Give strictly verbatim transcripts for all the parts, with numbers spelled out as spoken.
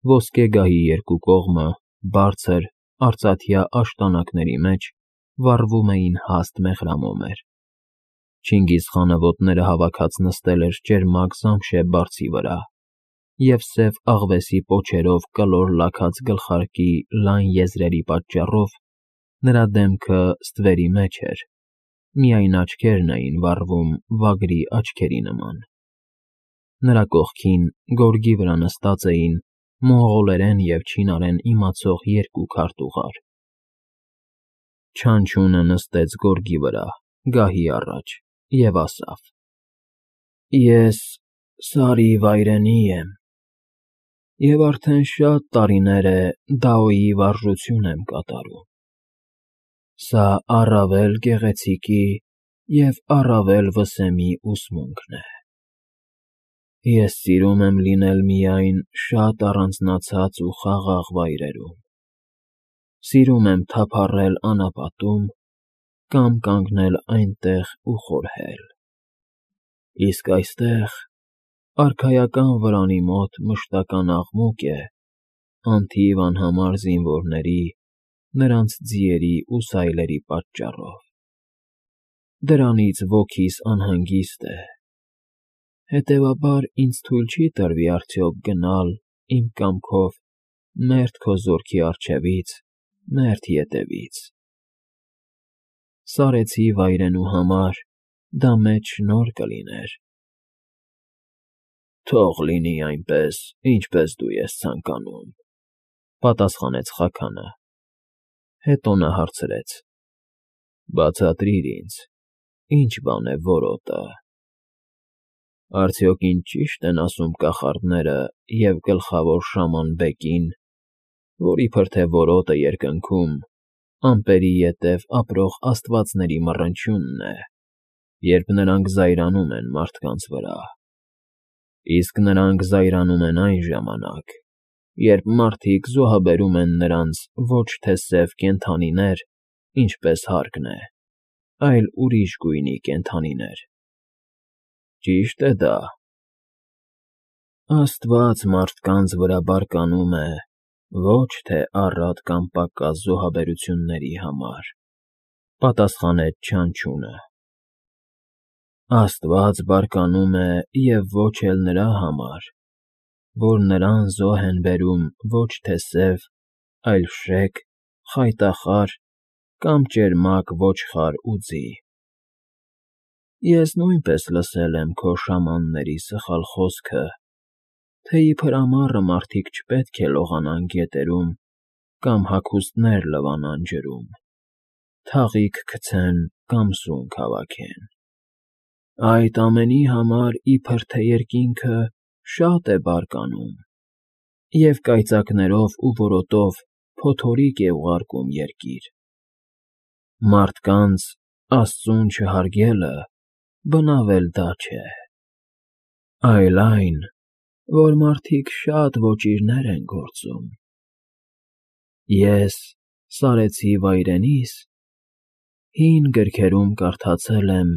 Ոսկե գահի երկու կողմը, բարձր, արծաթյա աշտանակների մեջ վառվում էին հաստ մեղրամոմեր. Չինգիզխանը ոտները հավաքած նստել էր ճերմակ զամշե բարձի վրա և սև աղվեսի պոչերով կլոր լաքած գլխարկի լայն եզրերի պատճառով նրա դեմքը ստվերի մեջ էր, միայն աչքերն էին վառվում վագրի աչքերի նման. նրա կողքին գորգի վրա նստած էին մոնղոլերեն և չինարեն իմացող երկու քարտուղար. Չանչունը նստեց գորգի վրա, գահի առաջ, և ասավ. «Ես Սարի վայրենի եմ, և արդեն շատ տարիներ է Դաոյի վարժություն եմ կատարում. սա առավել գեղեցիկի և առավել վսեմի ուսմունքն է։ Ես սիրում եմ լինել միայն շատ առանձնացած ու խաղաղ վայրերում, սիրում եմ թափառել անապատում կամ կանգնել այնտեղ ու խորհել, իսկ այստեղ, արքայական վրանի մոտ մշտական աղմուկ է անթիվ անհամար զինվորների, նրանց ձիերի ու սայլերի պատճառով։ Դրանից ոգիս անհանգիստ է, հետևաբար ինձ թույլ չի տրվի արդյոք գնալ իմ կամքով մերթ քո զորքի առջևից, մերթ ետևից։ Սարեցի վայրենու համար դա մեծ շնորհ կլիներ»։ «Թող լինի այնպես, ինչպես դու ես ցանկանում», ֊ պատասխանեց Խաքանը, հետո նա հարցրեց. «Բացատրիր ինձ, ի՞նչ բան է որոտը։ Արդյոք ինձ ճի՞շտ են ասում կախարդները և գլխավոր շաման Բեկին, որ իբր թե որոտը երկնքում ամպերի ետև ապրող աստվածների մռնչյունն է, երբ նրանք զայրանում են մարդկանց վրա, իսկ նրանք զայրանում են այն ժամանակ, երբ մարդիկ զոհաբերում են նրանց ոչ թե սև կենդանիներ, ինչպես հարկն է, այլ ուրիշ գույնի կենդանիներ։ Ճի՞շտ է դա»։ «Աստված մարդկանց վրա բարկանում է ոչ թե առատ կամ պակաս զոհաբերությունների համար», ֊ պատասխանեց Չանչունը։ «Աստված բարկանում է և ոչ էլ նրա համար, որ նրան զոհ են բերում ոչ թե սև, այլ շեկ, խայտախառ կամ ճերմակ ոչխար ու ձի։ Ես նույնպես լսել եմ քո շամանների սխալ խոսքը, թե իբր ամառը մարդիկ չպետք է լողանան գետերում կամ հագուստներ լվանան ջրում, թաղիկ գցեն կամ սունկ հավաքեն։ Այդ ամենի համար իբր թե երկինքը շատ է բարկանում և կայծակներով ու որոտով փոթորիկ է ուղարկում երկիր։ Մարդկանց Աստծուն չհարգելը բնավ էլ դա չէ, այլ այն, որ մարդիկ շատ ոճիրներ են գործում։ Ես, սարեցի վայրենիս, հին գրքերում կարդացել եմ,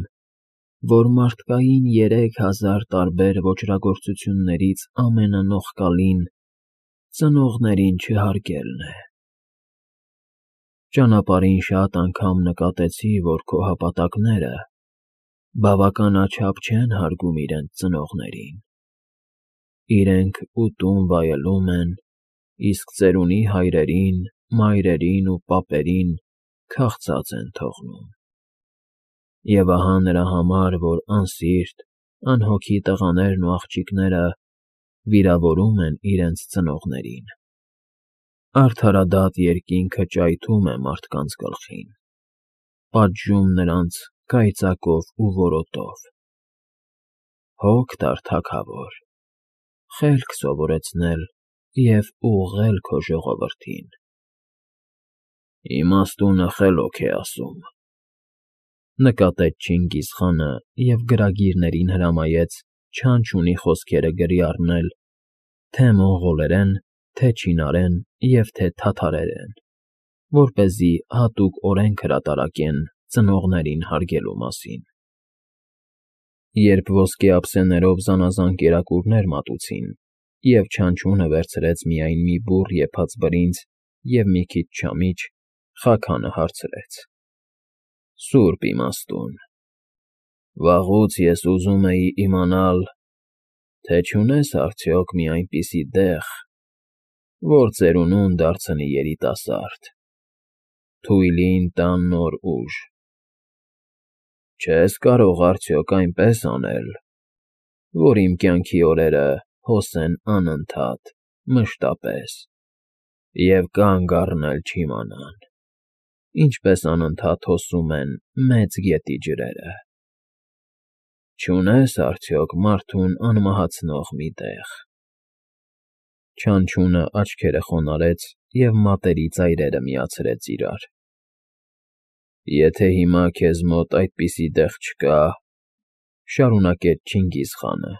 որ մարդկային երեք հազար տարբեր ոճրագործություններից ամենանողկալին ծնողներին չհարգելն է։ Ճանապարհին շատ անգամ նկատեցի, որ քո հապատակները բավականաչափ չեն հարգում իրենց ծնողներին. իրենք ուտում վայելում են, իսկ ծերունի հայրերին, մայրերին ու պապերին քաղցած են թողնում։ Եվ ահա նրա համար, որ անսիրտ, անհոգի տղաներն ու աղջիկները վիրավորում են իրենց ծնողներին, արդարադատ երկինքը ճայթում է մարդկանց գլխին, պատժում նրանց կայծակով ու որոտով։ Հոգ տար թագավոր, խելք սովորեցնել և ուղղել քո ժողովրդին»։ «Իմաստունը խելոք է ասում», ֊ նկատեց Չինգիզխանը և գրագիրներին հրամայեց Չանչունի խոսքերը գրի առնել թե՛ մոնղոլերեն, թե՛ չինարեն և թե՛ թաթարերեն, որպեսզի հատուկ օրենք հրատարակեն ծնողներին հարգելու մասին։ Երբ ոսկե ափսեներով զանազան կերակուրներ մատուցին և չանչունը վերցրեց միայն մի բուռ եփած բրինձ և մի քիչ չամիչ, Խաքանը հարցրեց. «Սուրբ իմաստուն, վաղուց ես ուզում էի իմանալ, թե չունես արդյոք մի այնպիսի դեղ, որ ծերունուն դարձնի երիտասարդ, թույլին տա նոր ուժ։ Չե՞ս կարող արդյոք այնպես անել, որ իմ կյանքի օրերը հոսեն անընդհատ, մշտապես և կանգ առնել չիմանան, ինչպես անընդհատ հոսում են Մեծ գետի ջրերը։ Չունե՞ս արդյոք մարդուն անմահացնող մի տեղ»։ Չանչունը աչքերը խոնարհեց և մատերի ծայրերը միացրեց իրար։ «Եթե հիմա քեզ մոտ այդպիսի տեղ չկա,֊ շարունակեց Չինգիզխանը,֊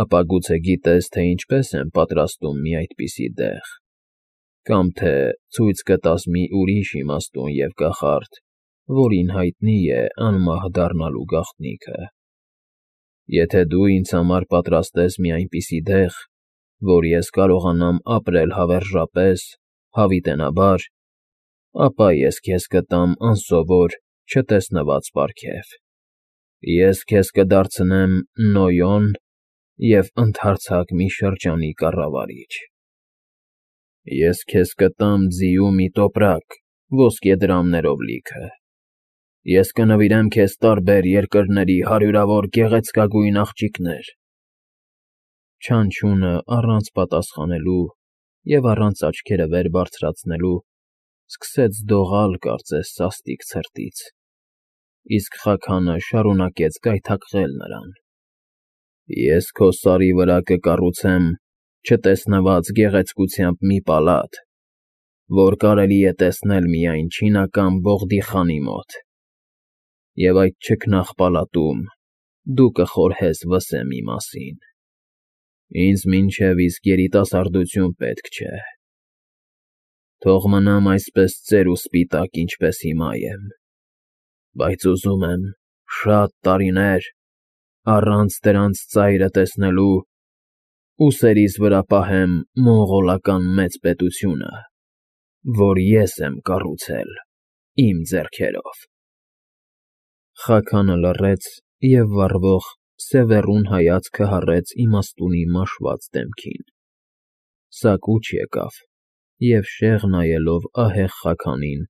ապա գուցե գիտես, թե ինչպես են պատրաստում մի այդպիսի տեղ, կամ թե ցույց կտաս մի ուրիշ իմաստուն և կախարդ, որին հայտնի է անմահ դառնալու գաղտնիքը։ Եթե դու ինձ համար պատրաստես մի այնպիսի տեղ, որ ես կարողանամ ապրել հավերժապես, հավիտենաբար, ապա ես քեզ կտամ անսովոր, չտեսնված պարգև. ես քեզ կդարձնեմ Նոյոն և ընդարձակ մի շրջանի կառավարիչ։ Ես քեզ կտամ ձիու մի տոպրակ ոսկեդրամներով լիքը։ Ես կնվիրեմ քեզ տարբեր երկրների հարյուրավոր գեղեցկագույն աղջիկներ»։ Չանչունը առանց պատասխանելու և առանց աչքերը վեր բարձրացնելու սկսեց դողալ, կարծես սաստիկ ցրտից, իսկ Խաքանը շարունակեց գայթակղել նրան. «Ես քո սարի վրա կկառուցեմ չտեսնված գեղեցկությամբ մի պալատ, որ կարելի է տեսնել միայն չինական Բողդիխանի մոտ, և այդ չքնաղ պալատում դու կխորհես վսեմի մասին։ Ինձ մինչև իսկ երիտասարդություն պետք չէ. թող մնամ այսպես ծեր ու սպիտակ, ինչպես հիմա եմ, բայց ուզում եմ շատ տարիներ, առանց դրանց ծայրը տեսնելու, ուսերիս վրա պահեմ մոնղոլական մեծ պետությունը, որ ես եմ կառուցել իմ ձեռքերով»։ Խաքանը լռեց և վառվող, սևեռուն հայացքը հառեց իմաստունի մաշված դեմքին, սակուց եկավ և, շեղ նայելով ահեղ Խաքանին,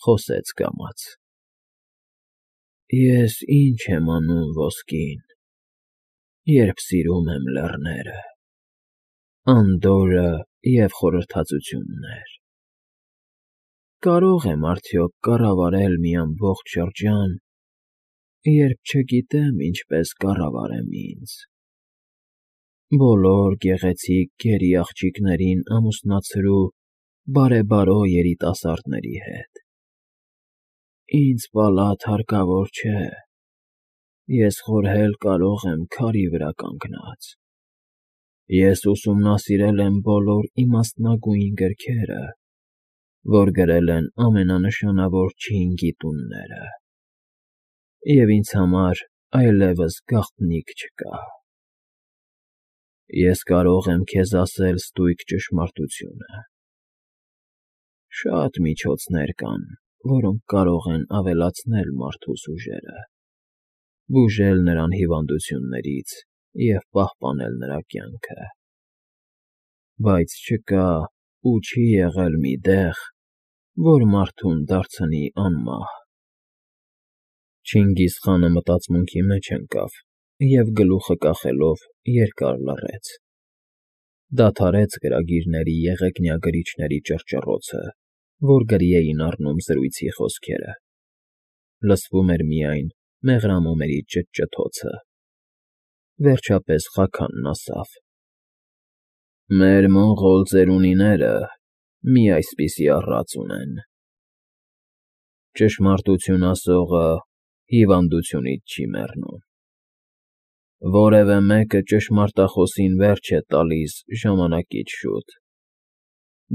խոսեց կամաց. «Ես ի՞նչ եմ անում ոսկին, երբ սիրում եմ լեռները, անդորրը և խորհրդածություններ։ Կարո՞ղ եմ արդյոք կառավարել մի ամբողջ շրջան, երբ չգիտեմ ինչպես կառավարեմ ինձ, բոլոր գեղեցիկ գերի աղջիկներին ամուսնացրու բարեբարո երիտասարդների հետ։ Ինձ պալատ հարկավոր չէ, ես խորհել կարող եմ քարի վրա կանգնած։ Ես ուսումնասիրել եմ բոլոր իմաստնագույն գրքերը, որ գրել են ամենանշանավոր չին գիտունները, և ինձ համար այլևս գաղտնիք չկա։ Ես կարող եմ քեզ ասել ստույգ ճշմարտությունը. շատ միջոցներ կան, որոնք կարող են ավելացնել մարդուս ուժերը, բուժել նրան հիվանդություններից և պահպանել նրա կյանքը, բայց չկա ու չի եղել մի տեղ, որ մարդուն դարձնի անմահ»։ Չինգիզխանը մտածմունքի մեջ ընկավ և գլուխը կախելով երկար լռեց, դադարեց գրագիրների եղեգնյա գրիչների ճռճռոցը, որ գրի էին առնում զրույցի խոսքերը, լսվում էր միայն մեղրամոմերի ճտճթոցը։ Վերջապես Խաքանն ասավ. «Մեր մոնղոլ ծերունիները մի այսպիսի առած ունեն. ճշմարտություն ասողը հիվանդությունից չի մեռնում։ Որևէ մեկը ճշմարտախոսին վերջ է տալիս ժամանակից շուտ,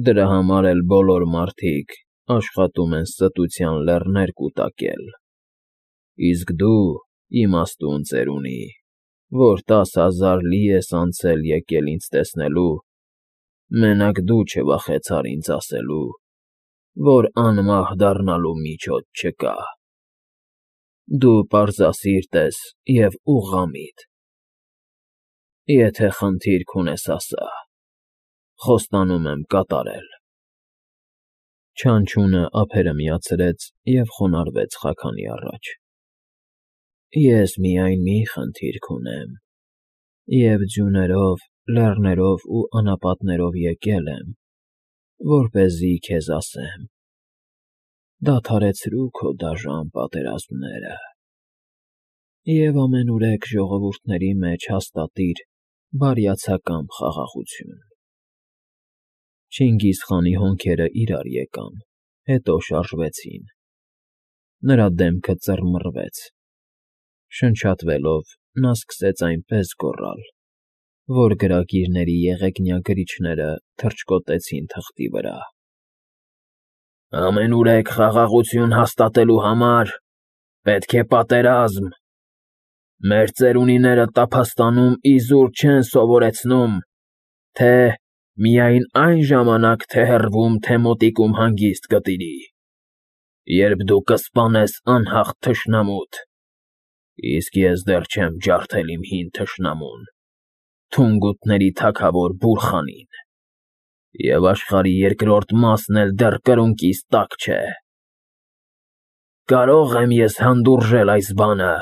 դրա համար էլ բոլոր մարդիկ աշխատում են ստության լեռներ կուտակել, իսկ դու, իմաստուն ծերունի, որ տասը հազար լի ես անցել եկել ինձ տեսնելու, մենակ դու չվախեցար ինձ ասելու, որ անմահ դառնալու միջոց չկա։ Դու պարզասիրտ ես և ուղղամիտ։ Եթե խնդիր քունես, ասա, խոստանում եմ կատարել։ Չանչունը ափերը միացրեց և խոնարհվեց խաքանի առաջ։ Ես միայն մի խնդիր քունեմ, և ձյուներով, լեռներով ու անապատներով եկել եմ, որպեսզի քեզ ասեմ. դադարեցրու քո դաժան պատերազմները և ամենուրեք ժողովուրդների մեջ հաստատիր բարյացակամ խաղաղություն։ Չինգիզխանի հոնքերը իրար եկան, հետո շարժվեցին, նրա դեմքը ծռմռվեց, շնչատվելով՝ նա սկսեց այնպես գոռալ, որ գրագիրների եղեգնյա գրիչները թռչկոտեցին թղթի վրա. «Ամենուրեք խաղաղություն հաստատելու համար պետք է պատերազմ։ Մեր ծերունիները տափաստանում իզուր չեն սովորեցնում, թե միայն այն ժամանակ թե հեռվում, թե մոտիկում հանգիստ գտիրի, երբ դու կսպանես անհաղթ թշնամուդ, իսկ ես դեռ չեմ ջարդել իմ հին թշնամուն՝ թունգութների թագավոր Բուրխանին, և աշխարհի երկրորդ մասն էլ դեռ կրունկիս տակ չէ։ Կարո՞ղ եմ ես հանդուրժել այս բանը։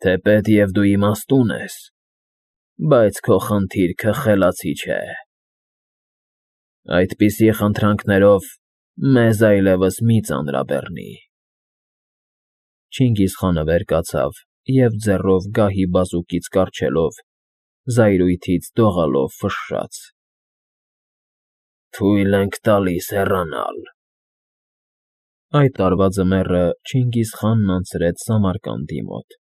Թեպետև դու իմաստուն ես, բայց քո խնդիրքը խելացի չէ։ Այդպիսի խնդրանքներով մեզ այլևս մի ծանրաբեռնի»։ Չինգիզխանը վեր կացավ և ձեռով գահի բազուկից կառչելով, զայրույթից դողալով ֆշշաց. «Թույլ ենք տալիս հեռանալ»։ Այդ տարվա ձմեռը Չինգիզխանն անցրեց Սամարկանդի մոտ։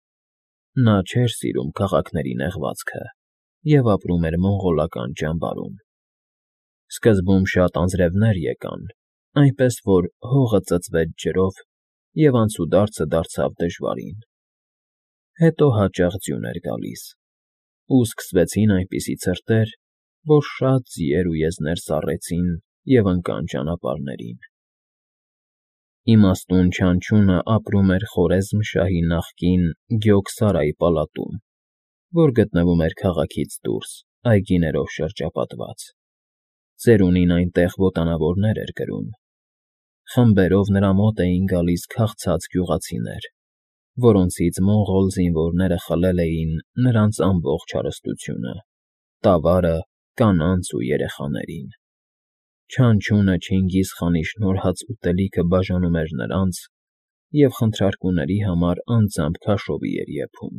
Նա չէր սիրում քաղաքների նեղվածքը և ապրում էր մոնղոլական ճամբարում։ Սկզբում շատ անձրևներ եկան, այնպես որ հողը ծծվեց ջրով, և անցուդարձը դարձավ դժվարին։ Հետո հաճախ ձյուն էր գալիս, ու սկսվեցին այնպիսի ցրտեր, որ շատ ձիեր ու եզներ սառեցին և ընկան ճանապարհներին։ Իմաստուն Չանչունը ապրում էր Խորեզմ֊շահի նախկին Գյոքսարայի պալատում, որ գտնվում էր քաղաքից դուրս, այգիներով շրջապատված։ Ծերունին այնտեղ ոտանավորներ էր կրում։ Խմբերով նրա մոտ էին գալիս քաղցած գյուղացիներ, որոնցից մոնղոլ զինվորները խլել էին նրանց ամբողջ հարստությունը՝ տավարը, կանանց ու երեխաներին։ Չանչունը Չինգիզխանի շնորհած ուտելիքը բաժանում էր նրանց և խնդրարկուների համար անձամբ քաշովի էր եփում։